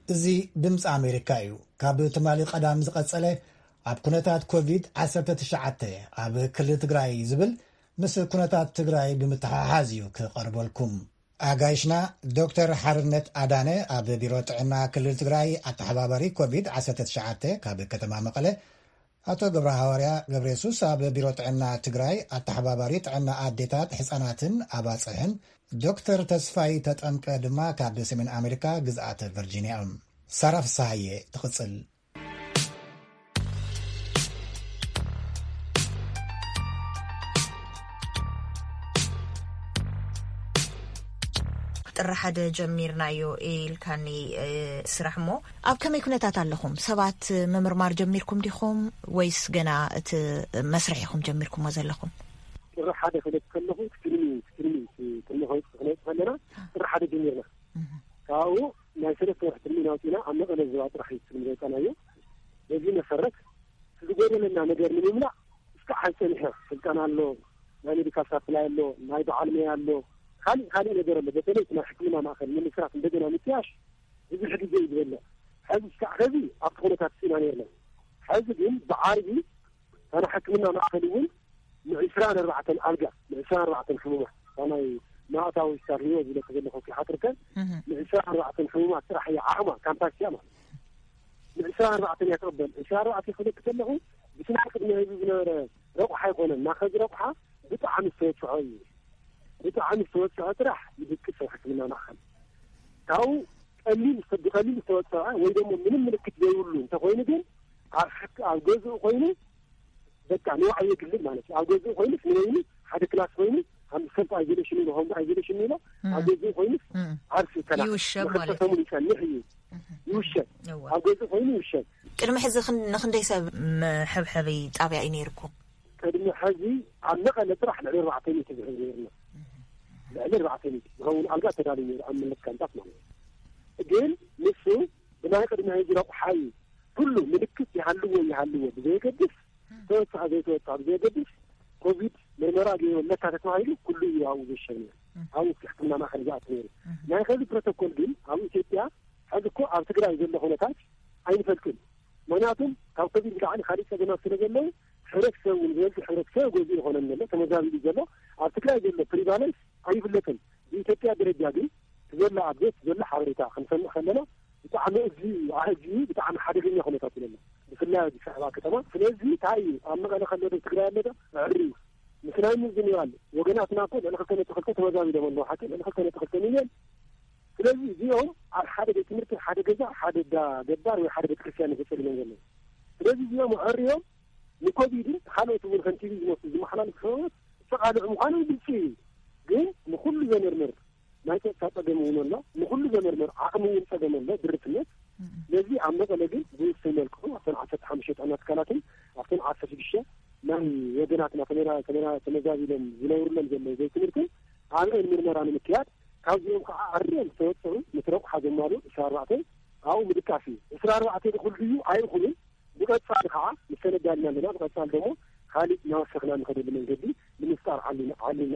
እዚ ድምፂ ኣሜሪካ እዩ። ካብ ትማሊ ቀዳም ዝቐጸለ ኣብ ኩነታት ኮቪድ ዓሰርተ ትሽዓተ ኣብ ክልል ትግራይ ዝብል ምስ ኩነታት ትግራይ ብምትሓሓዝ እዩ ክቐርበልኩም። ኣጋይሽና ዶክተር ሓርነት ኣዳነ ኣብ ቢሮ ጥዕና ክልል ትግራይ ኣተሓባባሪ ኮቪድ ዓሰርተ ትሽዓተ ካብ ከተማ መቐለ፣ ኣቶ ገብረ ሃዋርያ ገብረ የሱስ ኣብ ቢሮ ጥዕና ትግራይ ኣተሓባባሪ ጥዕና ኣዴታት፣ ህፃናትን ኣባፅሕን፣ ዶክተር ተስፋይ ተጠምቀ ድማ ካብ ሰሜን ኣሜሪካ ግዝኣት ቨርጂኒያ እዮም። ሳራ ፍስሃየ ትቕጽል። ጥሪ ሓደ ጀሚርናዮ ኢልካኒ፣ እ፣ ስራሕ እሞ ኣብ ከመይ ኩነታት ኣለኹም? ሰባት ምምርማር ጀሚርኩም ዲኹም ወይስ ገና እቲ መስርሕ ኢኹም ጀሚርኩሞ ዘለኹም? ጥሪ ሓደ ክለት ከለኹ ቅድሚ ቅድሚ ቅድሚ ከለና ጥሪ ሓደ ጀሚርና። ካብኡ ናይ ሰለስተ ወርሒ ትልሚ ናውፂና ኣብ መቐለ ዝባ ጥራሕ እዩ ትልሚ ዘውፃናዮ። በዚ መሰረት ዝጎደለና ነገር ንምምላእ እስካዕ ሓይፀኒሐ። ስልጠና ኣሎ፣ ናይ ሜዲካል ሳፕላይ ኣሎ፣ ናይ በዓል መያ ኣሎ፣ ካሊእ ካሊእ ነገር ኣሎ። በተለይ ናይ ሕክምና ማእከል ንምስራት እንደገና ምጥያሽ ብዙሕ ግዜ እዩ ዝበልዕ። ሕዚ እስካዕ ከዚ ኣብቲ ኩነታት ስኢና ነርና። ሕዚ ግን ብዓርቢ እታ ናይ ሕክምና ማእከል እውን ንዕስራን ኣርባዕተን ኣልጋ፣ ንዕስራን ኣርባዕተን ሕሙማት፣ እታ ናይ ማእታዊ ስታር ህይወት ዝብለኪ ዘለኹ ክሓትርከ፣ ንዕስራን ኣርባዕተን ሕሙማት ጥራሕ እያ ዓቕማ፣ ካምፓስ እያ ማለት። ንዕስራን ኣርባዕተን እያ ትቕበል። ዕስራን ኣርባዕተን ክብለኪ ከለኹ ብቲ ናይ ቅድሚ ህዝቢ ዝነበረ ረቑሓ ኣይኮነን። ናኸዚ ረቑሓ ብጣዕሚ ዝተወፅዖ እዩ። ብጣዕሚ ዝተወፅዖ ጥራሕ ይድቅስ ኣብ ሕክምና ማእከል። ካብኡ ቀሊል ብቐሊል ዝተወፀዐ ወይ ደሞ ምንም ምልክት ዘይብሉ እንተኾይኑ ግን ኣብ ሕክ ኣብ ገዝኡ ኮይኑ በቃ ንባዕሉ የግልል ማለት እዩ። ኣብ ገዝኡ ኮይኑስ ንበይኑ ሓደ ክላስ ኮይኑ ኣብ ሰልፍ ኣይዞሌሽን ኢሎ፣ ሆም ኣይዞሌሽን ኢሎ ኣብ ገዝኡ ኮይኑስ ዓርሱ ይከላኸል። ይውሸብ ማለት እዩ። ሰሙን ይጸንሕ እዩ። ይውሸብ። እወ። ኣብ ገዝኡ ኮይኑ ይውሸብ። ቅድሚ ሕዚ ክን- ንኽንደይ ሰብ መሐብሐቢ ጣብያ እዩ ነይርኩም? ቅድሚ ሕዚ ኣብ መቐለ ጥራሕ ልዕሊ ኣርባዕተ ሚእቲ ዝሕዝ ነይርና። ልዕሊ ኣርባዕተ ሚእቲ ዝኸውን ኣልጋ ተዳልዩ ነይሩ ኣብ መለስ ካምፓስ ማለት እዩ። ግን ንሱ ብናይ ቅድሚ ሕዚ ረቑሓ እዩ። ኩሉ ምልክት ይሃልዎ ይሃልዎ ብዘየገድስ ተወፅኣ ዘይተወፅኣ ብዘየገድስ ኮቪድ ምርመራ ገይሩ ኣለካ ተተባሂሉ ኩሉ እዩ ኣብኡ ዝሸብ ነይሩ። ኣብኡ እቲ ሕክምና ማእከል ዝኣቱ ነይሩ። ናይ ከዚ ፕሮቶኮል ግን ኣብ ኢትዮጵያ ሕዚ እኮ ኣብ ትግራይ ዘሎ ኩነታት ኣይንፈልጥን። ምክንያቱም ካብ ኮቪድ ብላዕሊ ካሊእ ፀገማት ስለ ዘለዉ ሕብረተሰብ እውን ዝበዝሕ ሕብረተሰብ ገዚኡ ይኾነን ዘሎ ተመዛቢሉ ዘሎ ኣብ ትግራይ ዘሎ ፕሪቫለንስ ኣይፍለጥን። ብኢትዮጵያ ደረጃ ግን ዘሎ ኣብዴት ዘሎ ሓበሬታ ክንሰምዕ ከለና ብጣዕሚ እዚ ኣህጂ ብጣዕሚ ሓደገኛ ኩነታት እዩ ዘሎ ብፍላይ ኣዲስ ኣበባ ከተማ። ስለዚ እንታይ እዩ ኣብ መቐለ ከሎ ዶ ትግራይ ኣሎ ዶ ዕሪ ምስ ናይ ምዝንባል ወገናትና እኮ ልዕሊ ክልተ ነጥቢ ክልተ ተመዛቢሎም ኣለዉ ሓቂ ልዕሊ ክልተ ነጥቢ ክልተ ሚልዮን። ስለዚ እዚኦም ኣብ ሓደ ቤት ትምህርቲ ሓደ ገዛ ሓደ ዳ ገባር ወይ ሓደ ቤተክርስትያን ተፀሊሎም ዘለዉ። ስለዚ እዚኦም ኣዕርዮም ንኮቪድን ካልኦት እውን ከም ቲቪ ዝመስሉ ዝመሓላለፉ ሰብት ዝተቓልዑ ምዃኖም ግልፂ እዩ። ግን ንኩሉ ዘመርምር ናይ ፀጥታ ፀገም እውን ኣሎ። ንኩሉ ዘመርምር ዓቕሚ እውን ፀገም ኣሎ ድርትነት። ስለዚ ኣብ መቐለ ግን ብውሱን መልክዑ ኣብተን ዓሰርተ ሓሙሽተ ጥዕና ትካላትን ኣብተን ዓሰርተ ሽዱሽተ ናይ ወገናትና ተመዛቢሎም ዝነብሩሎም ዘለዉ ቤት ትምህርትን ኣብአን ምርመራ ንምክያድ ካብዚኦም ከዓ ኣርዮም ዝተወፅዑ ምስ ረቑሓ ዘማሉ ዕስራ ኣርባዕተ ኣብኡ ምድቃስ እዩ። ዕስራ ኣርባዕተ ድኹል ድዩ ኣይኹንን ብቐፃሊ ከዓ ምስተነዳልና ኣለና። ብቐፃሊ ደሞ ካሊእ እናወሰኽና ንኸደሉ መንገዲ ንምፍጣር ዓሊና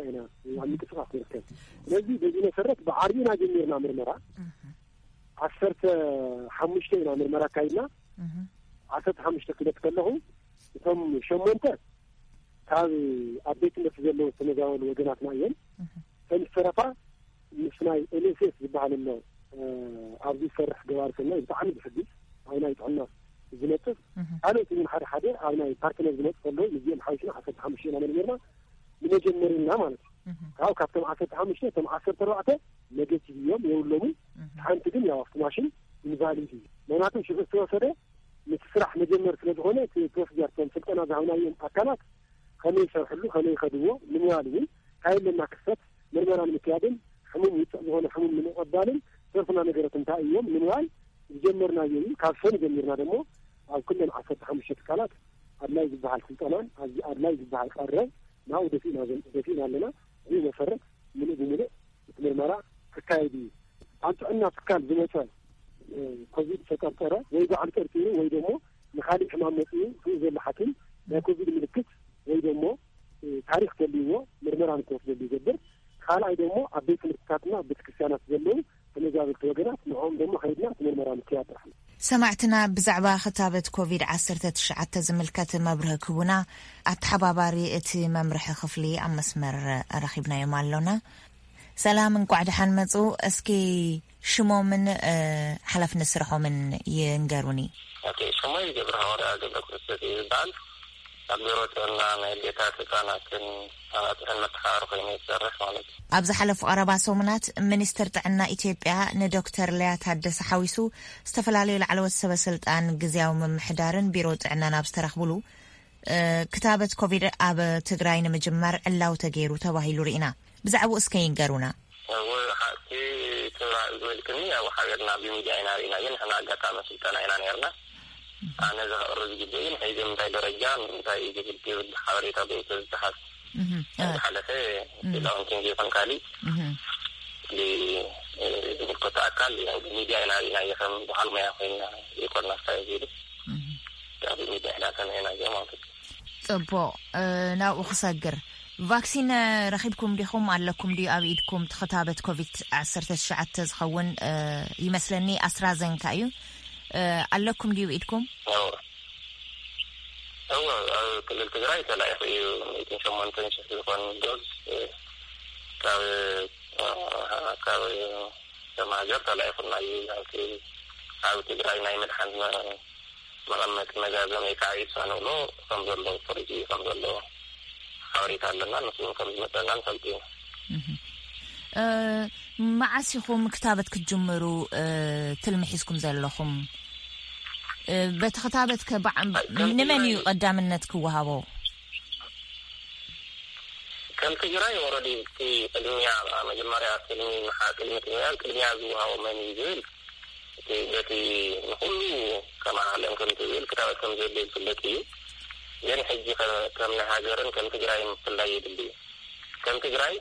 ኢና ኣብ ምንቅስቃስ ንርከብ። ስለዚ በዚ መሰረት ብዓርቢ ኢና ጀሚርና ምርመራ። ዓሰርተ ሓሙሽተ ኢና ምርመራ ኣካይድና። ዓሰርተ ሓሙሽተ ክለት ከለኹ እቶም ሸሞንተ ካብ ኣብ ቤት ትምህርቲ ዘለዉ ዝተመዛበሉ ወገናትና እዮም። እተን ዝተረፋ ምስ ናይ ኤንኤስኤስ ዝበሃል ኣሎ ኣብዚ ዝሰርሕ ገባሪ ሰናይ ብጣዕሚ ዝሕግዝ ኣብ ናይ ጥዕና ዝነጥፍ ካልኦት እውን ሓደ ሓደ ኣብ ናይ ፓርትነር ዝመፁ ከለዉ ምስዚኦም ሓዊስና ዓሰርተ ሓሙሽተ ኢና መርሚርና ንመጀመርና ማለት እዩ። ካብ ካብቶም ዓሰርተ ሓሙሽተ እቶም ዓሰርተ ኣርባዕተ ኔጌቲቭ እዮም የብሎምን። ሓንቲ ግን ያው ኣብቲ ማሽን ኢንቫሊድ እዩ። ምክንያቱም ሽዑ ዝተወሰደ ምስ ስራሕ መጀመር ስለ ዝኾነ እቲ ፕሮሲጀር እቶም ስልጠና ዝሃብናዮም ኣካላት ከመይ ይሰርሕሉ ከመይ ይኸድዎ ንምባል እውን እንታይ ኣለና ክስተት ምርመራ ንምክያድን ሕሙም ውፅዕ ዝኾነ ሕሙም ንምቕባልን ዝተወሰና ነገራት እንታይ እዮም ንምባል ዝጀመርናዮ እዩ። ካብ ሰኒ ጀሚርና ደሞ ኣብ ኩለን ዓሰርተ ሓሙሽተ ትካላት ኣድላይ ዝበሃል ስልጠናን ኣብዚ ኣድላይ ዝበሃል ቀረብ ናብኡ ደፊእና ዘን- ደፊእና ኣለና። እዚ መሰረት ምሉእ ብምሉእ እቲ ምርመራ ክካየድ እዩ። ኣብ ጥዕና ትካል ዝመፀ ኮቪድ ዝተጠርጠረ ወይ ባዕሉ ጠርጢሩ ወይ ደሞ ንካሊእ ሕማም መፅኡ ስኡ ዘሎ ሓኪም ናይ ኮቪድ ምልክት ወይ ደሞ ታሪክ ዘልዎ ምርመራ ንክወስደሉ ይገብር። ካልኣይ ደሞ ኣብ ቤት ትምህርትታትና ኣብ ቤተክርስትያናት ዘለዉ ተመዛበልቲ ወገናት ንዕኦም ደሞ ከይድና እቲ ምርመራ ምክያድ ጥራሕ። ሰማዕትና ብዛዕባ ክታበት ኮቪድ ዓሰርተ ትሽዓተ ዝምልከት መብርሂ ክህቡና ኣተሓባባሪ እቲ መምርሒ ክፍሊ ኣብ መስመር ረኺብናዮም ኣሎና። ሰላም፣ እንቋዕ ደሓን መጹ። እስኪ ሽሞምን ሓላፍነት ስርሖምን ይንገሩኒ። ሽሞይ ገብረ ሃዋርያ ገብረ ክርስቶስ እዩ ዝበሃል። ኣብ ቢሮ ጥዕና ናይ ኣዴታት ህፃናትን ኣባፅሕን መተሓባሪ ኮይኑ ይሰርሕ ማለት እዩ። ኣብ ዝሓለፉ ቀረባ ሰሙናት ሚኒስትር ጥዕና ኢትዮጵያ ንዶክተር ሊያ ታደሰ ሓዊሱ ዝተፈላለዩ ላዕለዎት ሰበ ስልጣን ግዝያዊ ምምሕዳርን ቢሮ ጥዕናን ኣብ ዝተረኽብሉ ክታበት ኮቪድ ኣብ ትግራይ ንምጅማር ዕላው ተገይሩ ተባሂሉ ርኢና። ብዛዕባኡ እስከ ይንገሩና። ወሓቲ ትብራ ዝበልክኒ ኣብ ሓቢርና ብሚድያ ኢና ርኢና፣ ግን ንሕና ኣጋጣሚ ስልጠና ኢና ነርና። ኣነ ዘቕርብ ዝግበ ግን ሕዚ ምንታይ ደረጃ ምንታይ ዝብል ዝብል ሓበሬታ ብእቶ ዝተሓዝ ዝሓለፈ ዳውንቲንግ ይኹን ካሊእ ዝምልከቶ ኣካል ብሚድያ ኢና ርኢናዮ ከም በዓል ሞያ ኮይና ይኮና ስታይ ዚሉ ብሚድያ ኢና ሰሚዕናዮ ማለት እዩ። ጽቡቕ። ናብኡ ክሰግር፣ ቫክሲን ረኺብኩም ዲኹም ኣለኩም ድዩ ኣብ ኢድኩም? ትኽታበት ኮቪድ ዓሰርተ ትሽዓተ ዝኸውን ይመስለኒ ኣስትራዘንካ እዩ። ኣለኩም ድዩ ኢድኩም? እወ፣ ኣብ ክልል ትግራይ ተላኢኹ እዩ። ሚእትን ሸሞንተን ሽሕ ዝኾን ዶዝ ካብ ካብ መሃጀር ተላኢኹና እዩ። ኣብ ትግራይ ናይ ምድሓን መቐመጢ መጋዘን ወይ ከዓ ኢድሳ ንብሎ ከም ዘሎ ፍርጂ ከም ዘሎ ሓበሬታ ኣለና። ንሱ እውን ከም ዝመፀና ንፈልጥ ኢና። መዓስ ኢኹም ክታበት ክትጅምሩ ትልሚ ሒዝኩም ዘለኹም? በቲ ክታበት ከ ንመን እዩ ቀዳምነት ክወሃቦ? ከም ትግራይ ወረዲ እቲ ቅድሚያ መጀመርያ ቅድሚ ቅድሚ ትግራይ ቅድሚያ ዝወሃቦ መን እዩ ዝብል በቲ ንኩሉ ከም ዓለም ከም ትብል ክታበት ከም ዘድልዮ ዝፍለጥ እዩ። ግን ሕጂ ከም ናይ ሃገርን ከም ትግራይ ምፍላይ የድሊ እዩ። ከም ትግራይ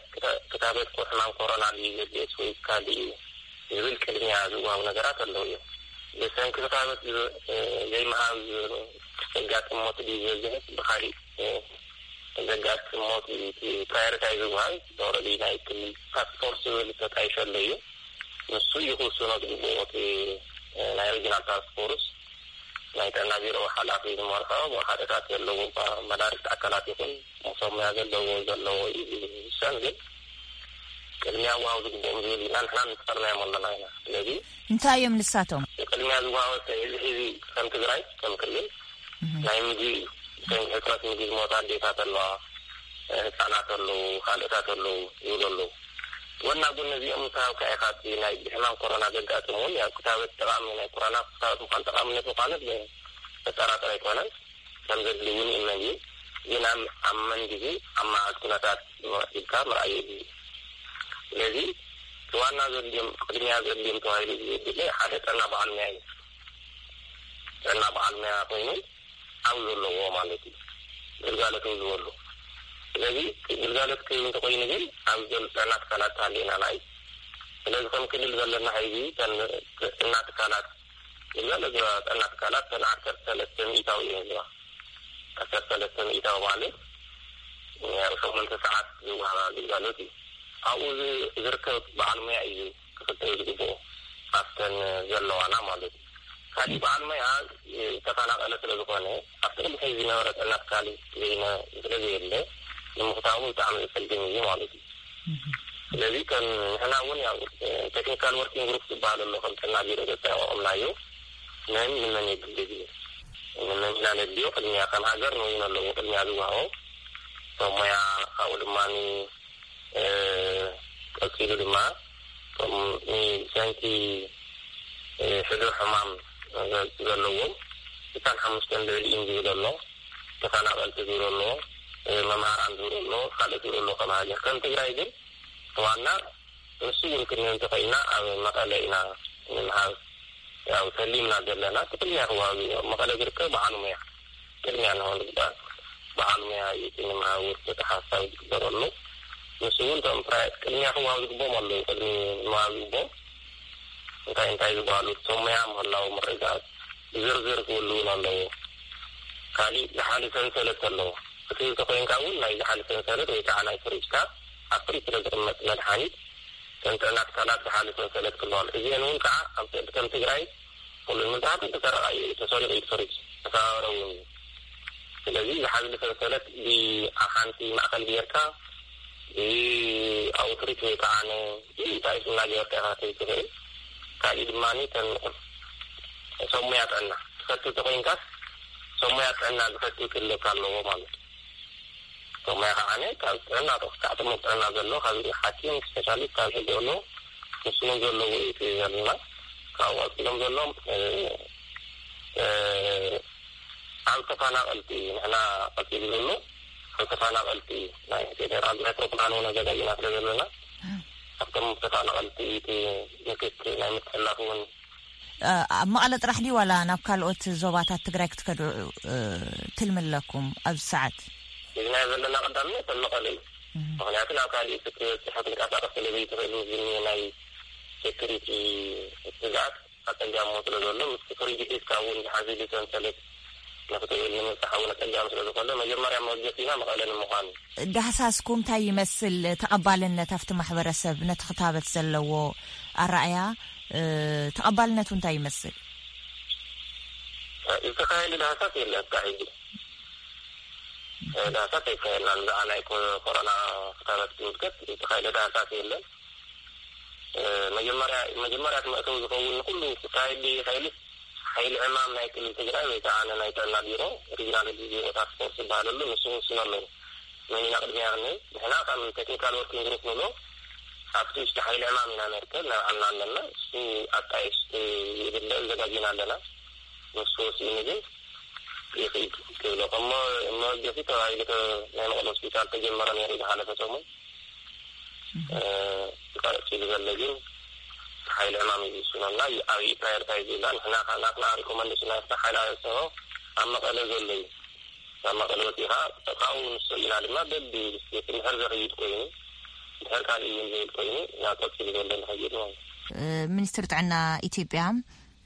ክታበት ሕማም ኮሮና ድዩ ዘድልዮስ ወይ ካልእ እዩ ዝብል ቅድሚያ ዝወሃቡ ነገራት ኣለዉ እዮም። ብሰንኪ ክታበት ዘይምሃብ ዘጋጥም ሞት ድዩ ዝበዝሕ ብካሊእ ዘጋጥም ሞት እዩ እቲ ፕራዮሪታይ ዝወሃብ። ኦረዲ ናይ ክልል ታስክ ፎርስ ዝብል ተጣይሸ ኣሎ እዩ። ንሱ እዩ ክውስኖ ዝግብኦ እቲ ናይ ሪጅናል ታስክ ፎርስ ናይ ጥዕና ቢሮ ሓላፊ ዝመርሖ ሓደታት ዘለዎ መዳርግቲ ኣካላት ይኹን ሞሶምያ ዘለዎ ዘለዎ እዩ ዝሰን ግን ቅድሚያ ዋው ዝግብኦም ዝብል ኢና ንሕና ንፀርናዮም ኣለና ኢና። ስለዚ እንታይ እዮም ንሳቶም? ቅድሚያ ዝዋወሰ እዚ ሕዚ ከም ትግራይ ከም ክልል ናይ ምግቢ እዩ። ብሰንኪ ሕፅረት ምግቢ ዝሞታ ኣዴታት ኣለዋ፣ ህፃናት ኣለዉ፣ ካልእታት ኣለዉ ይብሉ ኣለዉ። ጎና ጎኒ እዚኦም ምስ ሃብካ ኢኻ እቲ ናይ ብሕማም ኮሮና ዘጋጥም እውን ያው ክታበት ጠቃሚ ናይ ኮሮና ክታበት ምኳን ጠቃምነት ምኳኑ ኣጠራጠር ኣይኮነን። ከም ዘድሊ እውን ይእመን እዩ። ግን ኣብ ኣብ መን ግዜ ኣብ መዓት ኩነታት ኢልካ ምርኣይ የድሊ። ስለዚ እቲ ዋና ዘድልዮም ቅድሚያ ዘድልዮም ተባሂሉ ዝብል ሓደ ጥዕና በዓል ሙያ እዩ። ጥዕና በዓል ሙያ ኮይኑ ኣብ ዘለዎ ማለት እዩ ግልጋሎት ዝህበሉ። ስለዚ ግልጋሎት ክህብ እንተኮይኑ ግን ኣብ ዘሎ ጥዕና ትካላት ተሃልየና ናይ ስለዚ ከም ክልል ዘለና ሕዚ ጥዕና ትካላት ግልጋሎት ዝህባ ጥዕና ትካላት ተን ዓሰርተ ሰለስተ ሚእታዊ እየን ዝህባ። ዓሰርተ ሰለስተ ሚእታዊ ማለት ኣብ ሸሞንተ ሰዓት ዝወሃባ ግልጋሎት እዩ። ኣብኡ ዝርከብ በዓል ሙያ እዩ ክኽተል ዝግብኦ ኣብተን ዘለዋና ማለት እዩ። ካሊእ በዓል ሞያ ዝተፈናቐለ ስለ ዝኾነ ኣብቲ ቅድሚ ሕዚ ዝነበረ ጥዕና ትካል ዘይነ ስለ ዘየለ ንምኽታሙ ብጣዕሚ ዘፀግም እዩ ማለት እዩ። ስለዚ ከም ንሕና እውን ያው ቴክኒካል ወርኪንግ ግሩፕ ዝበሃል ኣሎ ከም ጥዕና ቢሮ ዘጠናቐቕምናዮ መን ንመን የድሊ ዝብል ንመን ኢና ነድልዮ ቅድሚያ ከም ሃገር ንወይን ኣለዎ ቅድሚያ ዝወሃቦ ሰብ ሞያ ካብኡ ድማ ቀፂሉ ድማ እቶም ብሰንኪ ሕዱር ሕማም ዘለዎም ስሳን ሓሙሽተን ልዕሊ ኢም ዝብል ኣሎ። ተፈናቐልቲ ዝብል ኣሎ። መምሃራን ዝብል ኣሎ። ካልእ ዝብል ኣሎ። ከም ሃገር ከም ትግራይ ግን ዋና ንሱ እውን ክንህብ እንተኾይንና ኣብ መቐለ ኢና ንምሃብ ያው ተሊምና ዘለና እቲ ቅድሚያ ክወሃብ እዩ። ኣብ መቐለ ዝርከብ በዓል ሙያ ቅድሚያ ንሆን ዝግባእ በዓል ሙያ እዩ እቲ ንምሃብ ውርደት ሓሳብ ዝግበረሉ። ንሱ እውን እቶም ፕራይ ቅድሚያ ክወሃብ ዝግቦም ኣለዉ። ቅድሚ ምሃብ ዝግቦም እንታይ እንታይ ዝበሃሉ እቶም ሙያ ምህላው ምርግጋፅ ብዝርዝር ክህሉ እውን ኣለዎ። ካሊእ ዝሓሊ ሰንሰለት ኣለዎ። ክትህብ ተኮይንካ እውን ናይ ዝሓሊ ሰንሰለት ወይ ከዓ ናይ ፍሪጅካ ኣብ ፍሪጅ ስለ ዝቕመጥ መድሓኒት ከም ጥዕና ትካላት ዝሓሉ ሰንሰለት ክህልዎም፣ እዚአን እውን ከዓ ኣብ ከም ትግራይ ኩሉ ንምዝሓል ተሰረቐ እዩ፣ ተሰሪቑ እዩ፣ ተፈሪጁ፣ ተሰባበረ እውን እዩ። ስለዚ ዝሓዝሉ ሰንሰለት ብሓንቲ ማእኸል ጌርካ ብኣውትሪት ወይ ከዓ እንታይ ስም እናገበርካ ኢኻ ከይትኽእል። ካሊእ ድማ ከም ሰብ ሞያ ጥዕና ትፈቱ ተኮይንካስ ሰብ ሞያ ጥዕና ዝፈቱ ክህልወካ ኣለዎ ማለት እዩ። ሰብ ሞያ ከዓ ካብ ጥዕና ዶ ካብ ጥሙር ጥዕና ዘሎ ካብ ሓኪም ስፔሻሊስት ካብ ህግ ዘሎ ንስኑ ዘለዎ እዩ ዘለና። ካብኡ ቀፂሎም ዘሎ ኣብ ተፈናቐልቲ እዩ። ንሕና ቀፂሉ ዘሎ ኣብ ተፈናቐልቲ እዩ። ናይ ፌደራል ናይ ፕሮግራም እውን ኣዘጋጅና ስለ ዘለና ኣብቶም ተፈናቐልቲ እቲ ምክት ናይ ምትሕላፍ እውን ኣብ መቐለ ጥራሕ ድዩ ዋላ ናብ ካልኦት ዞባታት ትግራይ ክትከዱ ትልሚ ኣለኩም ኣብዚ ሰዓት? እዚ ናይ ዘለና ቀዳምነት ኣብ መቐለ እዩ። ምክንያቱ ናብ ካሊእ ክትበፅሕ ክትንቀሳቀስ ስለ ዘይትኽእል፣ ምስ ዝኒ ናይ ሴኩሪቲ ስግኣት ኣፀጋሞ ስለ ዘሎ፣ ምስ ፍሪጅ ሒዝካ እውን ዝሓዘሉ ሰንሰለት ንክትብል ንምብፃሕ እውን ኣፀጋሚ ስለ ዝኾነ፣ መጀመርያ መወጀሲና መቐለ ንምዃን እዩ። ዳህሳስኩም እንታይ ይመስል? ተቐባልነት ኣብቲ ማሕበረሰብ ነቲ ክታበት ዘለዎ ኣረኣያ፣ ተቐባልነቱ እንታይ ይመስል? ዝተኻየደ ዳህሳስ የለን። እስካዕ ሕጂ ዳህሳስ ኣይካየድናን። ብዛዕባ ናይ ኮ-፣ ኮሮና ክታበት ዝምልከት ዝተኻየደ ዳህሳስ የለን። መጀመርያ፣ መጀመርያ እቲ መእተዊ ዝኸውን ንኩሉ ክካየድ ይኽእል ሓይሊ ዕማም ናይ ክልል ትግራይ ወይ ከዓ ናይ ጥዕና ቢሮ፣ ሪጅናል ሄልዝ ቢሮ ታስክ ፎርስ ዝበሃለሉ፣ ንሱ ውስኖ ኣለዎ። መን ኢና ቅድሚያ ክንብል? ንሕና ከም ቴክኒካል ወርኪንግ ግሩፕ ንብሎ፣ ኣብቲ ውሽጢ ሓይሊ ዕማም ኢና ነርከብ፣ ናይ ባዕልና ኣለና። እሱ ኣጣይሽ ይብለ፣ ዘጋጅና ኣለና። ንሱ ወሲኑ ግን ይኽኢድ ክብሎ። ከም መ-፣ መወገሲ ተባሂሉ ተ-፣ ናይ መቐለ ሆስፒታል ተጀመረ ነይሩ ዝሓለፈ ሰሙን። እ፣ ቀፂሉ ዘሎ ግን ሓይሊ ዕማም እዩ ዝውስነልና። ዩ-፣ ኣብ ፕራዮሪታይዝ ኢልና ንሕና ከ-፣ ናትና ሪኮመንዴሽን ናትና ሓይሊ ኣሰቦ ኣብ መቐለ ዘሎ እዩ። ኣብ መቐለ ወፂኻ ካብኡ ንሱ ኢና ድማ በቢ ስቴት እንድሕር ዘኽይድ ኮይኑ፣ እንድሕር ካልእ እውን ዘይብል ኮይኑ ናብ ቀፂሉ ዘሎ ንኸይድ ማለት እዩ። እ፣ ሚኒስትር ጥዕና ኢትዮጵያ፣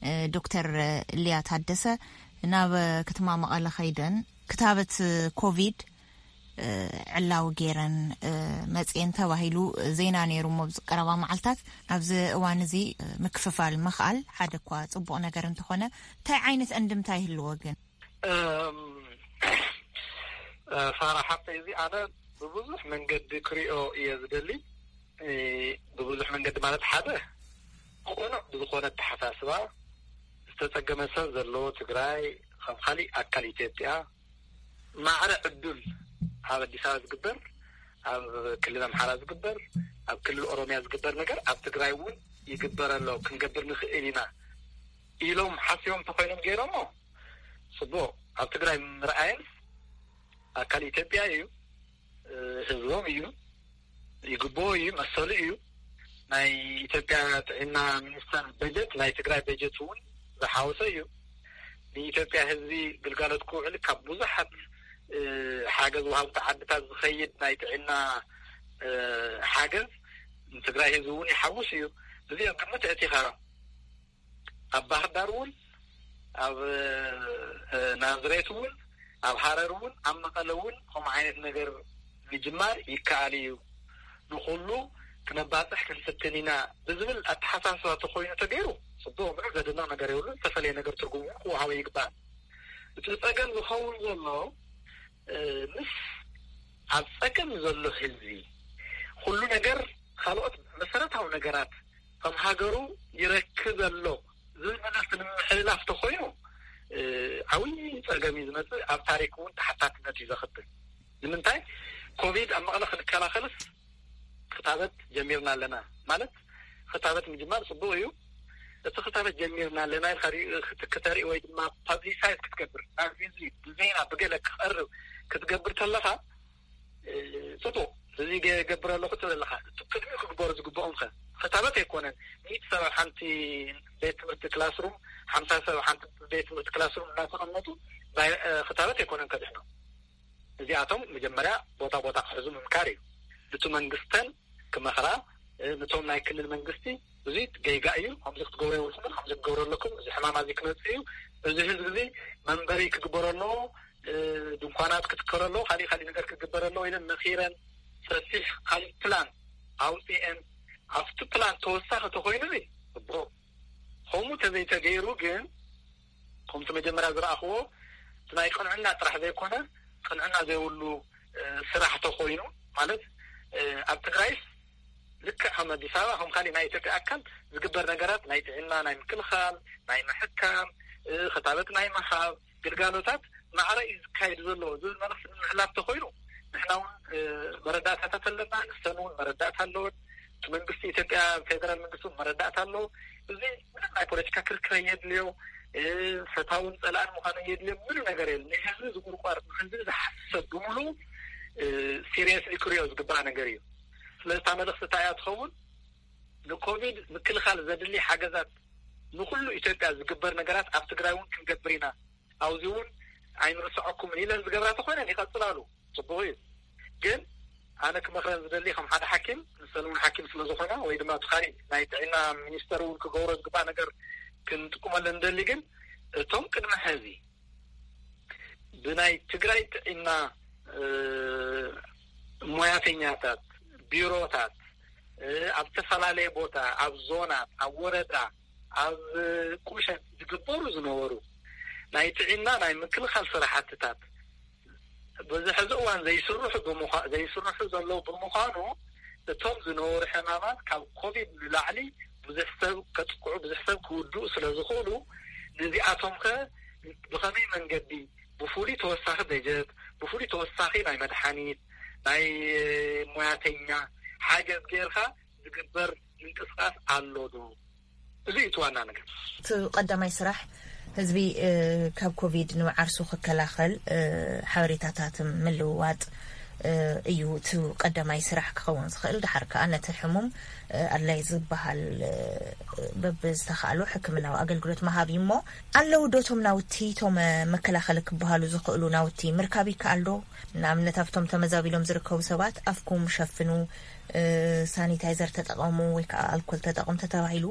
እ፣ ዶክተር ሊያ ታደሰ ናብ ከተማ መቐለ ከይደን ክታበት ኮቪድ፣ እ፣ ዕላዊ ገይረን፣ እ፣ መፅኤን ተባሂሉ ዜና ነይሩ እሞ ኣብዚ ቀረባ መዓልታት። ኣብዚ እዋን እዚ፣ እ፣ ምክፍፋል ምኽኣል ሓደ እኳ ፅቡቕ ነገር እንተኾነ እንታይ ዓይነት እንድምታ ይህልዎ ግን? እም፣ እ፣ ፋራ ሓቂ እዚ ኣነ ብብዙሕ መንገዲ ክሪኦ እየ ዝደሊ። እ፣ ብብዙሕ መንገዲ ማለት ሓደ ቅኑዕ ብዝኾነ ኣተሓሳስባ ዝተፀገመ ሰብ ዘለዎ ትግራይ ከም ካሊእ ኣካል ኢትዮጵያ ማዕረ ዕዱል ኣብ ኣዲስ ኣበባ ዝግበር፣ ኣብ ክልል ኣምሓራ ዝግበር፣ ኣብ ክልል ኦሮሚያ ዝግበር ነገር ኣብ ትግራይ እውን ይግበር ኣሎ፣ ክንገብር ንኽእል ኢና ኢሎም ሓሲቦም እንተኾይኖም ገይሮሞ፣ ጽቡቕ። ኣብ ትግራይ ምርኣየን ኣካል ኢትዮጵያ እዩ፣ ህዝቦም እዩ፣ ይግብኦ እዩ፣ መሰሉ እዩ። ናይ ኢትዮጵያ ጥዕና ሚኒስተር በጀት ናይ ትግራይ በጀት እውን ዝሓወሰ እዩ። ንኢትዮጵያ ህዝቢ ግልጋሎት ክውዕል ካብ ብዙሓት፣ እ፣ ሓገዝ ወሃብቲ ዓድታት ዝኸይድ ናይ ጥዕና፣ እ፣ ሓገዝ ንትግራይ ህዝቢ እውን ይሓውስ እዩ። እዚኦም ግምት ኣእቲኻ ኣብ ባህር ዳር እውን፣ ኣብ፣ እ፣ ናዝሬት እውን፣ ኣብ ሃረር እውን፣ ኣብ መቐለ እውን ከምኡ ዓይነት ነገር ምጅማር ይከኣል እዩ። ንኹሉ ክነባፅሕ ክንፍትን ኢና ብዝብል ኣተሓሳስባ ተኾይኑ ተገይሩ፣ ጽቡቕ፣ ምንም ዘደንቕ ነገር የብሉን። ዝተፈለየ ነገር ትርጉም እውን ክወሃቦ ይግባእ። እቲ ጸገም ዝኸውን ዘሎ፣ እ፣ ምስ ኣብ ጸገም ዘሎ ህዝቢ ኩሉ ነገር፣ ካልኦት መሰረታዊ ነገራት ከም ሃገሩ ይረክብ ኣሎ ዝብል መልእኽቲ ንምምሕልላፍ ተኾይኑ፣ እ፣ ዓብዪ ጸገም እዩ ዝመጽእ። ኣብ ታሪክ እውን ተሓታትነት እዩ ዘኽትል። ንምንታይ? ኮቪድ ኣብ መቐለ ክንከላኸልስ ክታበት ጀሚርና ኣለና። ማለት፣ ክታበት ምጅማር ጽቡቕ እዩ። እቲ ክታበት ጀሚርና ኣለና ኢልካ ሪኡ ክት-፣ ክተርኢ ወይ ድማ ፓብሊሳይዝ ክትገብር፣ ናብ ህዝቢ ብዜና ብገለ ክቐርብ ክትገብር ከለኻ፣ እ፣ ጽቡቕ፣ እዚ ገ-፣ ገብር ኣለኹ ትብል ኣለኻ። እቲ ቅድሚኡ ክግበሩ ዝግብኦም ከ? ክታበት ኣይኮነን። ሚእቲ ሰብ ኣብ ሓንቲ ቤት ትምህርቲ ክላስሩም፣ ሓምሳ ሰብ ኣብ ሓንቲ ቤት ትምህርቲ ክላስሩም እናተቐመጡ፣ ቫይ-፣ እ፣ ክታበት ኣይኮነን ከድሕኖም። እዚኣቶም መጀመርያ ቦታ ቦታ ክሕዙ ምምካር እዩ። ነቲ መንግስተን ክመኽራ፣ እ፣ ነቶም ናይ ክልል መንግስቲ፣ እዚ ጌጋ እዩ፣ ከምዚ ክትገብሩ የብልኩምን፣ ከምዚ ክትገብሩ ኣለኩም፣ እዚ ሕማም እዚ ክመጽእ እዩ፣ እዚ ህዝቢ እዚ መንበሪ ክግበሮ ኣለዎ፣ እ፣ ድንኳናት ክትከሎ ኣለዎ፣ ካሊእ ካሊእ ነገር ክግበር ኣለዎ ኢለን መኺረን፣ ሰፊሕ ካሊእ ፕላን ኣውጺኤን፣ ኣብቲ ፕላን ተወሳኺ ተኾይኑ ጽቡቕ። ከምኡ ተዘይተገይሩ ግን፣ ከምቲ መጀመርያ ዝረኣኽዎ፣ እቲ ናይ ቅንዕና ጥራሕ ዘይኮነ፣ ቅንዕና ዘይብሉ፣ እ፣ ስራሕ ተኾይኑ፣ ማለት፣ እ፣ ኣብ ትግራይስ ልክዕ ከም ኣዲስ ኣበባ፣ ከም ካሊእ ናይ ኢትዮጵያ ኣካል ዝግበር ነገራት፣ ናይ ጥዕና፣ ናይ ምክልኻል፣ ናይ ምሕካም፣ እ፣ ክታበት ናይ ምሃብ ግልጋሎታት ማዕረ እዩ ዝካየድ ዘሎ ዝብል መልእኽቲ ንምሕላፍ ተኾይኑ፣ ንሕና እውን፣ እ፣ መረዳእታታት ኣለና፣ ንሰን እውን መረዳእታ ኣለወን። እቲ መንግስቲ ኢትዮጵያ፣ ፌደራል መንግስቲ እውን መረዳእታ ኣለዎ። እዚ ምንም ናይ ፖለቲካ ክርክር የድልዮ፣ እ፣ ፈታውን ጸላእን ምዃኑ የድልዮ፣ ምንም ነገር የለን። ንህዝቢ ዝቁርቋር፣ ንህዝቢ ዝሓስብ ሰብ ብምሉኡ፣ እ፣ ሲሪየስሊ ክሪኦ ዝግባእ ነገር እዩ። ስለዚ እታ መልእኽቲ እንታይ እያ ትኸውን? ንኮቪድ ምክልኻል ዘድሊ ሓገዛት፣ ንኹሉ ኢትዮጵያ ዝግበር ነገራት ኣብ ትግራይ እውን ክንገብር ኢና። ኣብዚ እውን ኣይንርስዐኩምን ኢለን ዝገብራ ተኾይነን ይቐጽላሉ። ጽቡቕ እዩ። ግን ኣነ ክመኽረን ዝደሊ ከም ሓደ ሓኪም፣ ንሰን እውን ሓኪም ስለ ዝኾና፣ ወይ ድማ እቲ ካሊእ ናይ ጥዕና ሚኒስተር እውን ክገብሮ ዝግባእ ነገር ክንጥቁመለን ንደሊ። ግን እቶም ቅድሚ ሕዚ ብናይ ትግራይ ጥዕና፣ እ፣ ሞያተኛታት፣ ቢሮታት፣ እ፣ ኣብ ዝተፈላለየ ቦታ፣ ኣብ ዞናት፣ ኣብ ወረዳ፣ ኣብ ቁሸት ዝግበሩ ዝነበሩ ናይ ጥዕና ናይ ምክልኻል ስራሕትታት በዚ ሕዚ እዋን ዘይስርሑ ብምዃ-፣ ዘይስርሑ ዘለዉ ብምዃኑ፣ እቶም ዝነበሩ ሕማማት ካብ ኮቪድ ንላዕሊ ብዙሕ ሰብ ከጥቅዑ፣ ብዙሕ ሰብ ክውድኡ ስለ ዝኽእሉ፣ ነዚኣቶምኸ ብኸመይ መንገዲ፣ ብፍሉይ ተወሳኺ በጀት፣ ብፍሉይ ተወሳኺ ናይ መድሓኒት፣ ናይ ሞያተኛ ሓገዝ ጌርካ ዝግበር ምንቅስቃስ ኣሎ ዶ? እዚ እዩ እቲ ዋና ነገር። እቲ ቀዳማይ ስራሕ ህዝቢ፣ እ፣ ካብ ኮቪድ ንመዓርሱ ክከላኸል፣ እ፣ ሓበሬታታት ምልውዋጥ፣ እ፣ እዩ እቲ ቀዳማይ ስራሕ ክኸውን ዝኽእል። ድሓር ከኣ ነቲ ሕሙም፣ እ፣ ኣድላይ ዝበሃል፣ እ፣ በብዝተኻእሎ ሕክምናዊ ኣገልግሎት ምሃብ እዩ። እሞ ኣለዉ ዶ እቶም ናውቲ፣ እቶም፣ እ፣ መከላኸሊ ክበሃሉ ዝኽእሉ ናውቲ ምርካብ ይከኣል ዶ? ንኣብነት ኣብቶም ተመዛቢሎም ዝርከቡ ሰባት ኣፍኩም ሸፍኑ፣ እ፣ ሳኒታይዘር ተጠቐሙ ወይ ከዓ ኣልኮል ተጠቐሙ ተተባሂሉ፣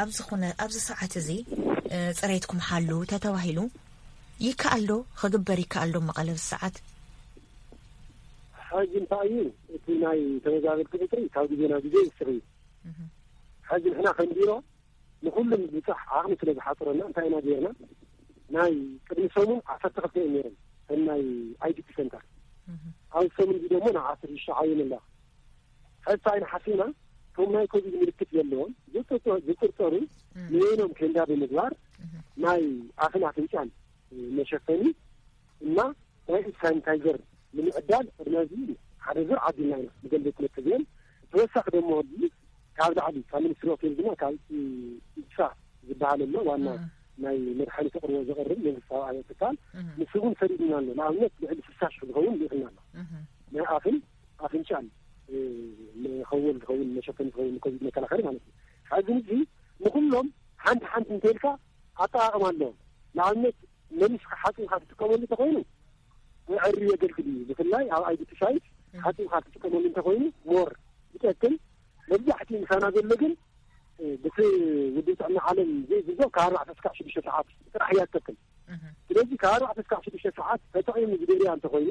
ኣብዚ ኩነ-፣ ኣብዚ ሰዓት እዚ፣ እ፣ ጽሬትኩም ሓልዉ ተተባሂሉ፣ ይከኣል ዶ? ክግበር ይከኣል ዶ መቐለ ኣብዚ ሰዓት? ሕጂ እንታይ እዩ፣ እቲ ናይ ተመዛበልቲ ቁፅሪ ካብ ግዜ ናብ ግዜ ይውስኽ እዩ። እህ። ሕጂ ንሕና ከም ቢሮ ንኩሉ ምብጻሕ ዓቕሚ ስለ ዝሓጽረና እንታይ ኢና ጌርና? ናይ ቅድሚ ሰሙን ዓሰርተ ክልተ እዮም ነይሮም፣ እቶም ናይ ኣይ ዲ ፒ ሰንተር። እህ። ኣብዚ ሰሙን እዚ ደሞ ናብ ዓሰርተ ሽዱሽተ ዓብዮም ኣለዋ። ሕጂ እንታይ ኢና ሓሲብና? እቶም ናይ ኮቪድ ምልክት ዘለዎም ዝጥርጠ-፣ ዝጥርጠሩ እህ። ንበይኖም ኬንዳ ብምግባር እህ። ናይ ኣፍን ኣፍንጫን መሸፈኒ እና ናይ ኢድ ሳኒታይዘር ንምዕዳል ቅድሚ ሕዚ ሓደ ዙር ዓዲልና ኢና፣ ብገለ ቤት ትምህርቲ እዚኦም። ተወሳኺ ደሞ ሕጂ ካብ ላዕሊ ካብ ሚኒስትሪ ኦፍ ሄልዝ ድማ ካብ ኢ-፣ ኢድሳ ዝበሃል ኣሎ፣ ዋና እም። ናይ መድሓኒት ኣቕርቦ ዘቕርብ መንግስታዊ ኣበ ትካል፣ እም። ንሱ እውን ሰዲድና ኣሎ። ንኣብነት ልዕሊ ስልሳ ሽሕ ዝኸውን ልኢኽና ኣሎ። እም። ናይ ኣፍን ኣፍንጫን፣ እ፣ መኸወል ዝኸውን፣ መሸፈኒ ዝኸውን፣ ኮቪድ መከላኸሊ ማለት እዩ። ሕዚ እዚ ንኹሎም ሓንቲ ሓንቲ እንተልካ ኣጠቓቕማ ኣለዎም። ንኣብነት መሊስካ ሓጺብካ ትጥቀመሉ እንተኾይኑ፣ ንዕሪ የገልግል እዩ። ብፍላይ ኣብ ኣይ ዲ ፒ ሳይት እም። ሓጺብካ ትጥቀመሉ እንተኾይኑ ሞር ይጠቅም። መብዛሕትኡ ምሳና ዘሎ ግን፣ እ፣ በቲ ውድብ ጥዕና ዓለም ዝእዝዞ ካብ ኣርባዕተ እስካዕ ሽዱሽተ ሰዓት ጥራሕ እያ ትጠቅም። እህ። ስለዚ ካብ ኣርባዕተ እስካዕ ሽዱሽተ ሰዓት ተጠቒሙ ዝደልያ እንተኾይኑ፣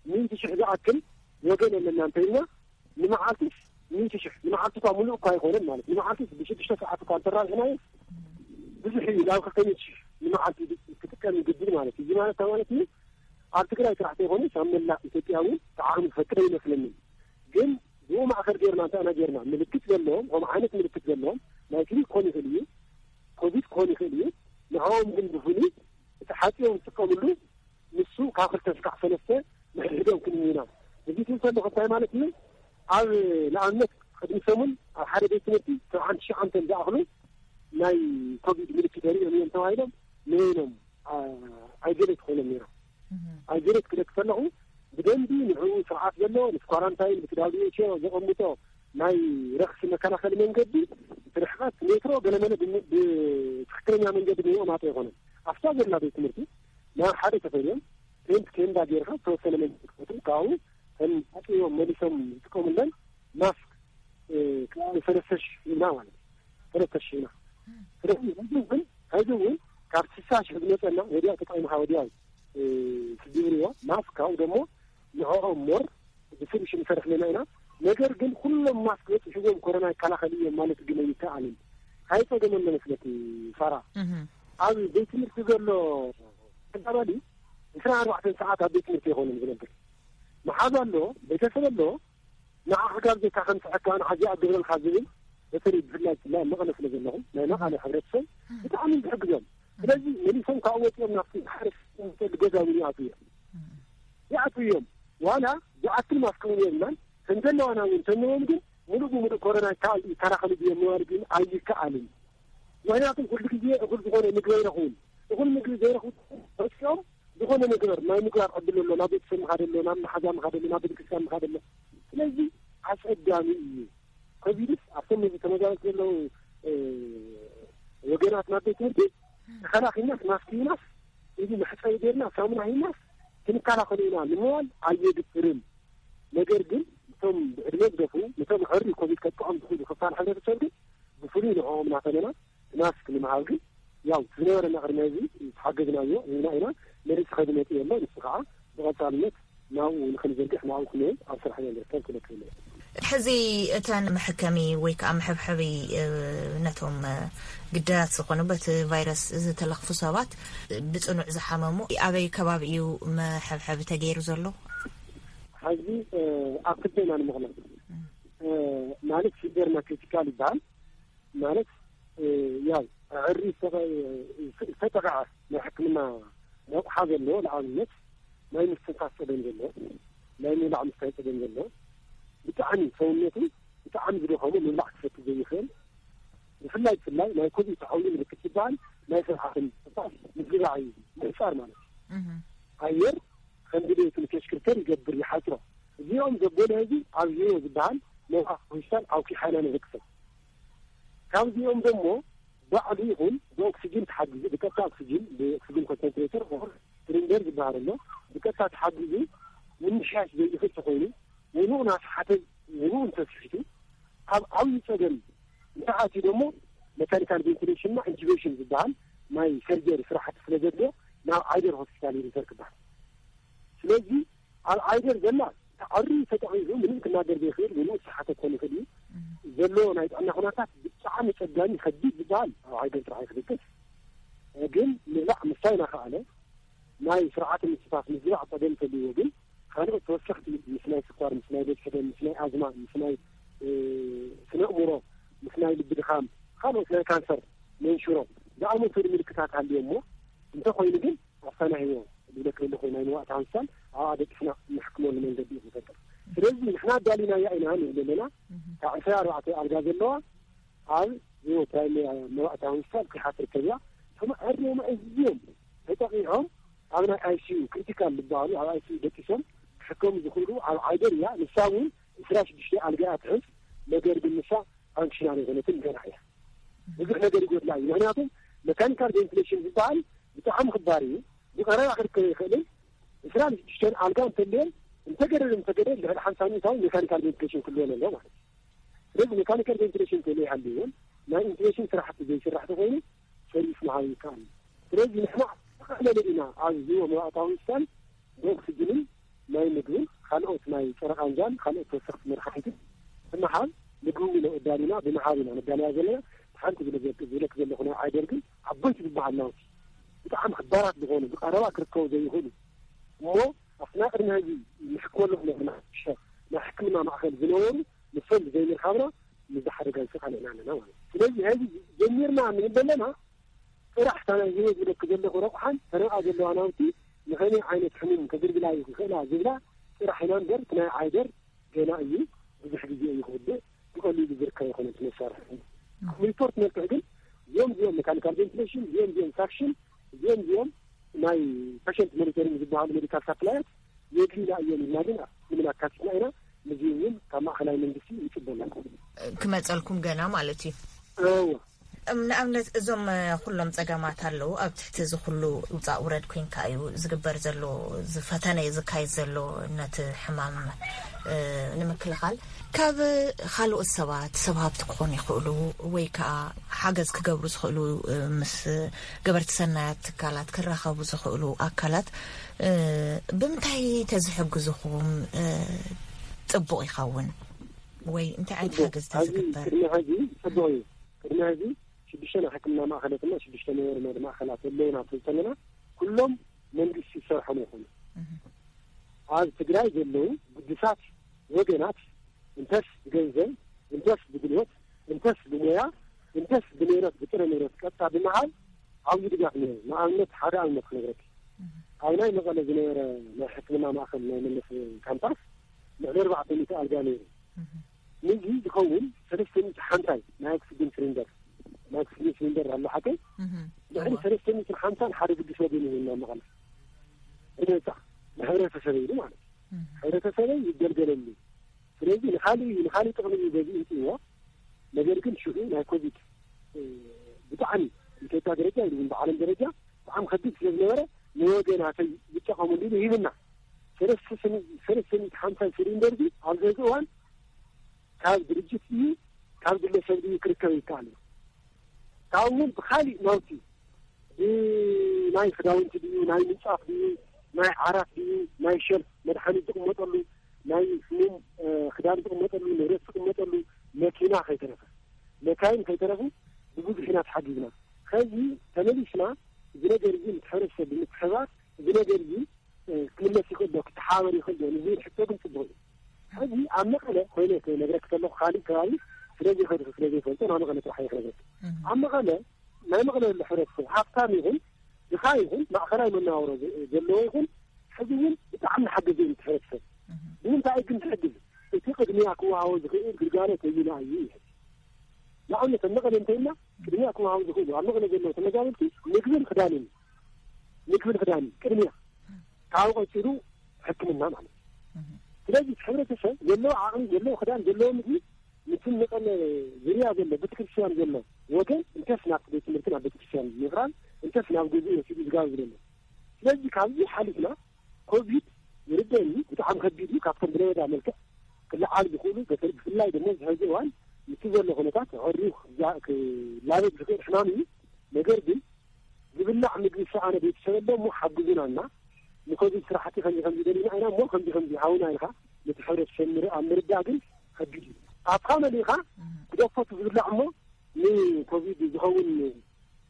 ሚእቲ ሽሕ ዝኣክል ወገን ኣለና እንተኢልና፣ ንመዓልትስ ሚእቲ ሽሕ፣ ንመዓልቲ እኳ ሙሉእ እኳ ኣይኮነን ማለት፣ ንመዓልትስ ብሽዱሽተ ሰዓት እኳ እንተራብሕናዮ፣ ብዙሕ እዩ፣ ናብ ክልተ ሚእቲ ሽሕ ንመዓልቲ ክጥቀም ይግድድ ማለት እዩ። እዚ ማለት እንታይ ማለት እዩ? ኣብ ትግራይ ጥራሕ ዘይኮነስ ኣብ መላእ ኢትዮጵያ እውን እቲ ዓቕሚ ዝፈቅድ ኣይመስለንን። ግን ብኡ ማእከል ጌርና እንታይ ኢና ጌርና? ምልክት ዘለዎም፣ ከምኡ ዓይነት ምልክት ዘለዎም፣ ናይ ክሊኒክ ክኾን ይኽእል እዩ፣ ኮቪድ ክኾን ይኽእል እዩ። ንዕኦም ግን ብፍሉይ እቲ ሓጺቦም ዝጥቀምሉ ንሱ ካብ ክልተ እስካዕ ሰለስተ ንሕድሕዶም ክንምና። እዚ ትብል ከለኹ እንታይ ማለት እዩ? ኣብ ንኣብነት ቅድሚ ሰሙን ኣብ ሓደ ቤት ትምህርቲ ሰብዓን ትሽዓንተን ዝኣኽሉ ናይ ኮቪድ ምልክት የርእዮም እዮም ተባሂሎም ንበይኖም፣ ኣ-፣ ኣይዞሌት ኮይኖም ነይሮም። እህ። ኣይዞሌት ክደቂ ከለኹ ብደንቢ ንዕኡ ስርዓት ዘለዎ ምስ ኳራንታይን ምስ ዳብሊው ኤች ኦ ዘቐምጦ ናይ ረኽሲ መከላኸሊ መንገዲ እቲ ርሕቐት ሜትሮ ገለመለ ብም-፣ ብትኽክለኛ መንገዲ ብምቕማጡ ኣይኮነን። ኣብታ ዘላ ቤት ትምህርቲ ናብ ሓደ ተፈልዮም ቴንት ቴንዳ ጌርካ ዝተወሰነ መንገዲ ክፈጥሩ ካብኡ ከም ሓፂቦም መሊሶም ዝጥቀሙለን ማስክ፣ እ፣ ከባቢ ሰለስተ ሽሕ ኢና ማለት እዩ። ሰለስተ ሽሕ ኢና። ስለዚ ህዝቢ እውን፣ ህዝቢ እውን ካብ ስሳ ሽሕ ዝመፀና ወዲያው ተጠቒምካ ወዲያው፣ እ፣ ትጅብርዎ ማስክ ካብኡ ደሞ ንዕኦም ሞር ብስሩ ሽም ንሰርሕ ኣለና ኢና። ነገር ግን ኩሎም ማስክ በፂሕዎም ኮሮና ይከላኸል እዮም ማለት ግን ኣይከኣልን። ካይ ፀገም ኣሎ መስለኪ ሳራ? ኣብ ቤት ትምህርቲ ዘሎ ተዛባዲ ዕስራን ኣርባዕተን ሰዓት ኣብ ቤት ትምህርቲ ይኾንን ዝነብር። መሓዛ ኣሎ፣ ቤተሰብ ኣሎ፣ ንዓኻ ካብ ዘካ ከምስሐካ ንዓዚ ኣገብረልካ ዝብል፣ በተለይ ብፍላይ ናይ መቐለ ስለ ዘለኹም፣ ናይ መቐለ ሕብረተሰብ ብጣዕሚ ዝሕግዞም። ስለዚ መሊሶም ካብ ወፂኦም ናብቲ ሓደ ዝሰል ገዛ እውን ይኣትዉ እዮም። ይኣትዉ እዮም። ዋላ ዝኣክል ማስክ እውን የብልናን። ከም ዘለዋና እውን ተንዎም ግን ሙሉእ ብሙሉእ ኮሮና ይከላኸሉ ድዮም ምባል ግን ኣይከኣልን። ምክንያቱም ኩሉ ግዜ እኹል ዝኾነ ምግቢ ኣይረኽቡን። እኹል ምግቢ ዘይረኽቡ ወፂኦም ዝኾነ ነገር ናይ ምግባር ዕድል ኣሎ። ናብ ቤተሰብ ምኻደ ኣሎ፣ ናብ መሓዛ ምኻደ ኣሎ፣ ናብ ቤተክርስትያን ምኻደ ኣሎ። ስለዚ ኣፀጋሚ እዩ። ኮቪድስ ኣብቶም ነዚ ተመዛበልቲ ዘለዉ ወገናት ናብ ቤት ትምህርቲ ተኸላኺልናስ ማስክ ሂናስ እዚ መሕፀቢ ገይርና ሳሙና ሂናስ ክንከላኸሉ ኢና ንምባል ኣየድፍርን። ነገር ግን እቶም ብዕድመ ዝደፉ፣ ነቶም ዕሪ ኮቪድ ከጥቅዖም ዝኽእሉ ክፋል ሕብረተሰብ ግን ብፍሉይ ንዕኦም እናፈለና ማስክ ንምሃብ ግን ያው ዝነበረና ቅድሚ ሕዚ ዝሓገዝናዮ ህዝብና ኢና። መሪፅ ከዝመፅ የሎ ንሱ ከዓ ብቐፃልነት ናብኡ ንክንዘርግሕ ናብኡ ክንብል ኣብ ስራሕ ኢና ንርከብ ክለክል። ሕዚ እተን መሐከሚ ወይ ከዓ መሐብሐቢ ነቶም ግዳያት ዝኾኑ በቲ ቫይረስ ዝተለኽፉ ሰባት ብፅኑዕ ዝሓመሙ ኣበይ ከባቢ እዩ መሐብሐቢ ተገይሩ ዘሎ? ሕዚ ኣብ ክልተ ኢና ንምቕላም። ማለት ሲቨር እና ክሪቲካል ይበሃል። ማለት ያው ዕሪ ዝተጠቃዐ ናይ ሕክምና ረቑሓ ዘለዎ ንኣብነት ናይ ምስትንፋስ ፀገም ዘለዎ፣ ናይ ምብላዕ ምስታይ ፀገም ዘለዎ፣ ብጣዕሚ ሰውነቱ ብጣዕሚ ዝደኸሙ ምብላዕ ክሰቲ ዘይኽእል፣ ብፍላይ ብፍላይ ናይ ኮቪድ ተሓውዩ ምልክት ዝበሃል ናይ ስርዓተ ምስትንፋስ ምዝባዕ እዩ። ምሕፃር ማለት እዩ። ኣየር ከም ድሌቱ ንከሽክርከር ይገብር፣ ይሓፅሮ። እዚኦም ዘበለ ህዝቢ ኣብ ሂሮ ዝበሃል መውሃ ሆስፒታል ኣውኪሓና ንረክሰብ። ካብዚኦም ደሞ ባዕሉ ይኹን ብኦክሲጅን ተሓጊዙ ብቀጥታ ኦክሲጅን ብኦክሲጅን ኮንሰንትሬተር ሲሊንደር ዝበሃል ኣሎ። ብቀጥታ ተሓጊዙ ምምሕያሽ ዘይኽእል ተኾይኑ ውኑኡ ናስሓተ ውኑኡ እንተስሒቱ ኣብ ዓብዪ ፀገም እንተኣትዩ ደሞ መካኒካል ቬንቲሌሽንና ኢንቱቤሽን ዝበሃል ናይ ሰርጀሪ ስራሕቲ ስለ ዘድልዮ ናብ ዓይደር ሆስፒታል እዩ ሪፈር ክበሃል። ስለዚ ኣብ ዓይደር ዘላ ተዓሪ ተጠቒሱ ምንም ክናገር ዘይኽእል ውኑኡ ዝሰሓተ ክኾን ይኽእል እዩ። ዘሎ ናይ ጥዕና ኩነታት ብጣዕሚ ጸጋሚ ከቢድ ዝበሃል ኣብ ዓይደር ጥራሕ እዩ ክድቅስ። ግን ምብላዕ ምስታይ እናኸኣለ ናይ ስርዓተ ምስትንፋስ ምዝባዕ ጸገም እንተልይዎ ግን ካልኦት ተወሰኽቲ ምስ ናይ ስኳር፣ ምስ ናይ ደም ሕደም፣ ምስ ናይ ኣዝማ፣ ምስ ናይ ስነ ኣእምሮ፣ ምስ ናይ ልቢ ድኻም፣ ካልኦት ናይ ካንሰር መንሽሮ ዝኣመሰሉ ምልክታት ሃልዮ እሞ እንተኾይኑ ግን ኣፋናህዮ ዝብለክ ዘለኹ ናይ መዋእታ ሆስፒታል ኣብኣ ደቂስና ንሕክመሉ መንገዲ እዩ ዝፈጥር። ስለዚ ንሕና ኣዳሊናያ ኢና ንብል ዘለና። ካብ ዕስራ ኣርባዕተ ኣልጋ ዘለዋ ኣብ ህይወት ናይ መዋእታ ሆስፒታል ኪሓ ትርከብ እያ። እቶም ኣርዮም ኣዝዮም ተጠቂዖም ኣብ ናይ ኣይሲዩ ክሪቲካል ዝበሃሉ ኣብ ኣይሲዩ ደቂሶም ክሕከሙ ዝኽእሉ ኣብ ዓይደር እያ። ንሳ እውን ዕስራ ሽዱሽተ ኣልጋ እያ ትሕዝ። ነገር ግን ንሳ ፋንክሽናል የኮነትን ገና እያ። ብዙሕ ነገር ይጎድላ እዩ። ምክንያቱም መካኒካል ቬንቲሌሽን ዝበሃል ብጣዕሚ ክባር እዩ። ብቐረባ ክርከብ ይኽእልን ዕስራን ሽዱሽተን ኣልጋ እንተልየን እንተገደደ እንተገደ ልዕሊ ሓምሳ ሚእታዊ ሜካኒካል ቬንቲሌሽን ክልወን ኣለዎ ማለት እዩ። ስለዚ ሜካኒካል ቬንቲሌሽን እንተዘይሃልይዎን ናይ ኢንቱቤሽን ስራሕቲ ዘይስራሕ ተኾይኑ ሰርቪስ ምሃብ ይከኣል እዩ። ስለዚ ንሕና ተቐለለ ኢና ኣብ ህዝቢ መባእታዊ ሆስፒታል ብኦክስጅንን ናይ ምግብን ካልኦት ናይ ጸረ ቃንዛን ካልኦት ተወሰኽቲ መድሓኒትን ብምሃብ ምግቢ እውን ኣዳሊና ብምሃብ ኢና ነዳልያ ዘለና። ሓንቲ ዝለ- ዝብለክ ዘለኹ ናይ ዓይደር ግን ዓበይቲ ዝበሃል ናውቲ ብጣዕሚ ክባራት ዝኾኑ ብቐረባ ክርከቡ ዘይኽእሉ እሞ ኣብቲ ናይ ቅድሚ ሕዚ ንሕክመሎም ዘለና ናይ ሕክምና ማእኸል ዝነበሩ ንሶም ብዘይምርካብና ምስዚ ሓደጋ ይሰቃለና ኣለና ማለት እዩ። ስለዚ ሕዚ ጀሚርና እንብል ዘለና ጥራሕ እታ ናይ ህይወት ዝለክ ዘለኹ ረቑሓን ተረኣ ዘለዋ ናውቲ ንኸመይ ዓይነት ሕሙም ከግልግላ ይኽእላ ዝብላ ጥራሕ ኢና እምበር እቲ ናይ ዓይደር ገና እዩ። ብዙሕ ግዜ እዩ ክውድእ፣ ብቐሊሉ ዝርከብ ኣይኮነን እቲ መሳርሒ። ኣብ ሪፖርት መልክዕ ግን እዚኦም እዚኦም ሜካኒካል ቬንቲሌሽን፣ እዚኦም እዚኦም ሳክሽን፣ እዚኦም እዚኦም ናይ ፔሸንት ሞኒተሪንግ ዝበሃሉ ሜዲካል ሳፕላያት የድልዩና እዮም ኢልና ግን ምንም ኣካቲትና ኢና። እዚ እውን ካብ ማእኸላይ መንግስቲ ይፅበና። ክመፀልኩም ገና ማለት እዩ። እዎ። እም፣ ንኣብነት እዞም እ፣ ኩሎም ፀገማት ኣለዉ። ኣብ ትሕቲ እዚ ኩሉ ውፃእ ውረድ ኮይንካ እዩ ዝግበር ዘሎ፣ ዝፈተነ እዩ ዝካየድ ዘሎ ነቲ ሕማም እ፣ ንምክልኻል። ካብ ካልኦት ሰባት ሰብ ሃብቲ ክኾኑ ይኽእሉ ወይ ከዓ ሓገዝ ክገብሩ ዝኽእሉ እ፣ ምስ ገበርቲ ሰናያት ትካላት ክራኸቡ ዝኽእሉ ኣካላት እ፣ ብምንታይ ተዝሕግዝኹም እ፣ ፅቡቕ ይኸውን? ወይ እንታይ ዓይነት ሓገዝ ተዝግበር? ቅድሚ ሕዚ ጽቡቕ እዩ። ቅድሚ ሕዚ ሽዱሽተ ናይ ሕክምና ማእኸላት እና ሽዱሽተ ናይ ወርመድ ማእኸላት ኣለውና እንተለና፣ ኩሎም መንግስቲ ዝሰርሖም ይኾኑ። ኣብ ትግራይ ዘለዉ ግዱሳት ወገናት እንተስ ብገንዘብ፣ እንተስ ብጉልበት፣ እንተስ ብሞያ፣ እንተስ ብንብረት፣ ብጥረ ንብረት ቀጥታ ብምሃብ ዓብዪ ድጋፍ ነይሩ። ንኣብነት ሓደ ኣብነት ክነግረኪ፣ ኣብ ናይ መቐለ ዝነበረ ናይ ሕክምና ማእኸል ናይ መለስ ካምፓስ ልዕሊ ኣርባዕተ ሚእቲ ኣልጋ ነይሩ። ንዚ ዝኸውን ሰለስተ ሚእቲ ሓምሳይ ናይ ኦክሲጅን ሲሊንደር፣ ናይ ኦክሲጅን ሲሊንደር ኣሎ ሓቀይ፣ ልዕሊ ሰለስተ ሚእቲ ሓምሳን ሓደ ግዱስ ወገን ይህና መቐለ ብነፃ ንሕብረተሰበ ኢሉ ማለት እዩ። ሕብረተሰበይ ይገልገለሉ። ስለዚ ንኻሊእ ንኻሊእ ጥቕሚ እዩ በዚ እንፅዎ። ነገር ግን ሽዑ ናይ ኮቪድ ብጣዕሚ ኢትዮጵያ ደረጃ ኢሉ ብዓለም ደረጃ ብጣዕሚ ከቢድ ስለ ዝነበረ ንወገናተይ ይጠቐሙሉ ኢሉ ሂብና። ሰለስተ ሚእቲ ሓምሳ ሲሊንደር እዚ ኣብዚ ሕዚ እዋን ካብ ድርጅት ድዩ ካብ ግለሰብ ድዩ ክርከብ ይከኣል እዩ። ካብኡ እውን ብካሊእ ናውቲ ናይ ክዳውንቲ ድዩ ናይ ምንፃፍ ድዩ ናይ ዓራት ድዩ ናይ ሸልፍ መድሓኒት ዝቕመጠሉ ናይ ሕሙም ክዳን ዝቕመጠሉ ንብረት ዝቕመጠሉ መኪና ከይተረፈ መካይን ከይተረፉ ብብዙሕ ኢና ተሓጊዝና። ከዚ ተመሊስና እዚ ነገር እዚ ምስ ሕብረተሰብ ብምትሕብባር እዚ ነገር እዚ ክምለስ ይኽእል ዶ ክተሓባበር ይኽእል ዶ ንዝብል ሕቶ ግን ፅቡቕ እዩ። ሕዚ ኣብ መቐለ ኮይነ ክነግረክ ከለኹ ካሊእ ከባቢ ስለዘይኸድኩ ስለዘይፈልጦ ናብ መቐለ ጥራሕ እየ ክነግረክ። ኣብ መቐለ ናይ መቐለ ዘሎ ሕብረተሰብ ሃብታም ይኹን ድኻ ይኹን ማእኸላይ መነባብሮ ዘለዎ ይኹን ሕዚ እውን ብጣዕሚ ሓገዘ እዩ እቲ ሕብረተሰብ። ንምንታይ ግን ትሕግዝ እቲ ቅድሚያ ክወሃቦ ዝኽእል ግልጋሎት ኣየና እዩ ይሕዝ። ንኣብነት ኣብ መቐለ እንተይልና ቅድሚያ ክወሃቡ ዝኽእሉ ኣብ መቐለ ዘለዉ ተመዛበልቲ ምግብን ክዳንን ምግብን ክዳንን ቅድሚያ ካብኡ ቀፂሉ ሕክምና ማለት እዩ። ስለዚ እቲ ሕብረተሰብ ዘለዎ ዓቕሚ ዘለዎ ክዳን ዘለዎ ምግቢ ምስቲ መቐለ ዝርያ ዘሎ ቤተክርስትያን ዘሎ ወገን እንተስ ናብቲ ቤት ትምህርቲ ናብ ቤተክርስትያን ምቕራብ እንተስ ናብ ገዝኡ ወሲዱ ዝጋብዝ ዘሎ። ስለዚ ካብዚ ሓሊፍና ኮቪድ ይርደኒ ብጣዕሚ ከቢድ እዩ። ካብቶም ብለበዳ መልክዕ ክለዓል ዝኽእሉ ብፍላይ ድማ ዝሕዚ እዋን ምስቲ ዘሎ ኩነታት ኣዕርዩ ክላበብ ዝኽእል ሕማም እዩ። ነገር ግን ዝብላዕ ምግቢ ዝሰኣነ ቤተሰብ ኣሎ እሞ ሓግዙና እና ንኮቪድ ስራሕቲ ከምዚ ከምዚ ደሊና ኢና እሞ ከምዚ ከምዚ ሃውና ኢልካ ነቲ ሕብረተሰብ ኣብ ምርዳእ ግን ከቢድ እዩ። ካብካ መሊእካ ግደፎ እቲ ዝብላዕ እሞ ንኮቪድ ዝኸውን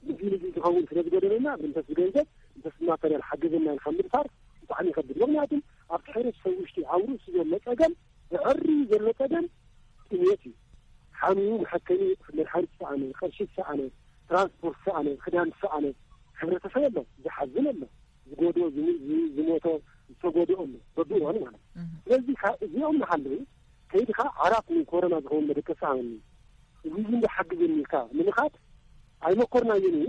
ንዚ ንዚ ዝኸውን ስለ ዝጎደለና እንተስ ብገንዘብ እንተስ ብማተርያል ሓግዘና ኢልካ ምድፋር ብጣዕሚ ይኸብድ። ምክንያቱም ኣብቲ ሕብረተሰብ ውሽጢ ኣብ ርእሱ ዘሎ ፀገም ብዕሪ ዘሎ ፀገም ጥሜት እዩ። ሓሚሙ መሐከሚ መድሓኒት ዝሰኣነ፣ ቅርሺ ዝሰኣነ፣ ትራንስፖርት ዝሰኣነ፣ ክዳን ዝሰኣነ ሕብረተሰብ ኣሎ። ዝሓዝን ኣሎ። ዝጎድኦ ዝሞቶ ዝተጎድኦ ኣሎ በብእዋኑ ማለት። ስለዚህ እዚኦም እናሃለዉ ከይድካ ዓራት ንኮሮና ዝኸውን መደቀሲ ሃበኒ እዚ ዝንዶ ሓግዘኒ ኢልካ ንምኻድ ኣይመኮርናዮን እዩ።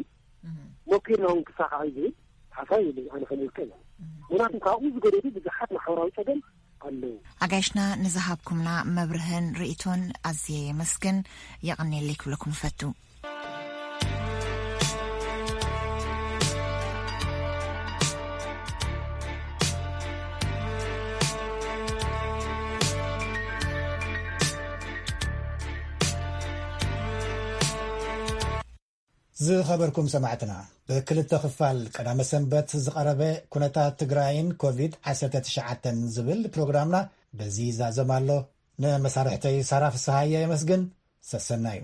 ሞኪርና እውን ክሳኻዕ ዝብል ሓሳብ የለ ኣነ ከም ውልቀ። ምክንያቱም ካብኡ ዝገደዱ ብዙሓት ማሕበራዊ ፀገም ኣለዉ። ኣጋይሽና ንዝሃብኩምና መብርህን ርእቶን ኣዝየ የመስግን። የቐንየለይ ክብለኩም እፈቱ። ዝኸበርኩም ሰማዕትና፣ ብክልተ ክፋል ቀዳመ ሰንበት ዝቐረበ ኩነታት ትግራይን ኮቪድ ዓሰርተ ትሽዓተ ዝብል ፕሮግራምና በዚ ይዛዘም ኣሎ። ንመሳርሕተይ ሳራ ፍስሃየ የመስግን። ሰሰናዩ።